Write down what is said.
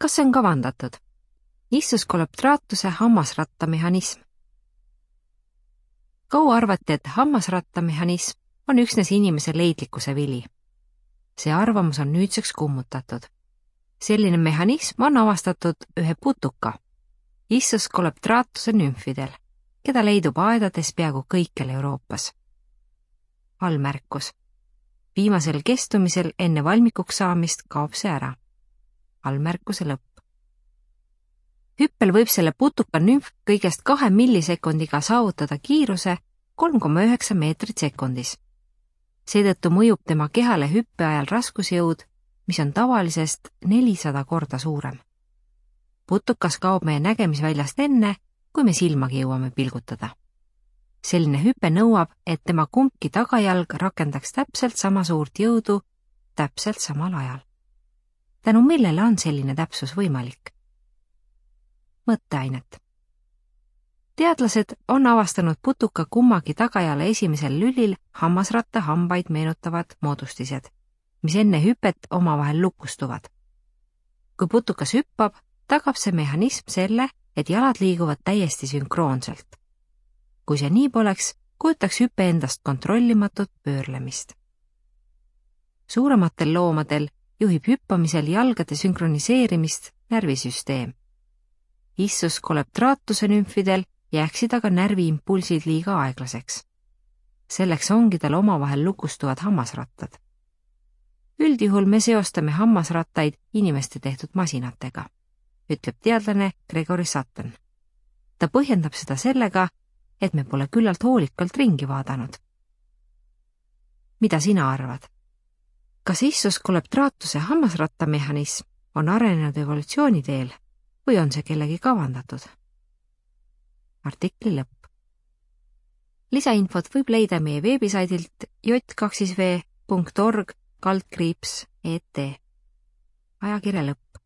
Kas see on kavandatud? Issuscoleptratuse hammasrattamehhanism. Kaua arvati, et hammasrattamehhanism on üksnes inimese leidlikkuse vili. See arvamus on nüüdseks kummutatud. Selline mehhanism on avastatud ühe putuka, Issuscoleptratuse nümfidel, keda leidub aedades peaaegu kõikjal Euroopas. Allmärkus. Viimasel kestumisel enne valmikuks saamist kaob see ära. Allmärkuse lõpp. Hüppel võib selle putuka nümf kõigest 2 millisekundiga saavutada kiiruse 3,9 meetrit sekundis. Seetõttu mõjub tema kehale hüppe ajal raskusjõud, mis on tavalisest 400 korda suurem. Putukas kaob meie nägemisväljast enne, kui me silmagi jõuame pilgutada. Selline hüpe nõuab, et tema kumbki tagajalg rakendaks täpselt sama suurt jõudu täpselt samal ajal. Tänu millele on selline täpsus võimalik? Mõtteainet. Teadlased on avastanud putuka kummagi tagajale esimesel lülil hammasratta hambaid meenutavad moodustised, mis enne hüpet omavahel lukustuvad. Kui putukas hüppab, tagab see mehhanism selle, et jalad liiguvad täiesti sünkroonselt. Kui see nii poleks, kujutaks hüpe endast kontrollimatut pöörlemist. Suurematel loomadel juhib hüppamisel jalgade sünkroniseerimist närvisüsteem. Issuscoleptratuse nümfidel jääksid aga närviimpulsid liiga aeglaseks. Selleks ongi tal omavahel lukustuvad hammasrattad. Üldjuhul me seostame hammasrattaid inimeste tehtud masinatega, ütleb teadlane Gregory Sutton. Ta põhjendab seda sellega, et me pole küllalt hoolikalt ringi vaadanud. Mida sina arvad? Kas Issuscoleptratuse hammasrattamehhanism on arenenud evolutsiooni teel või on see kellegi kavandatud? Artikli lõpp. Lisainfot võib leida meie veebisaidilt j2v.org/et. Ajakirja lõpp.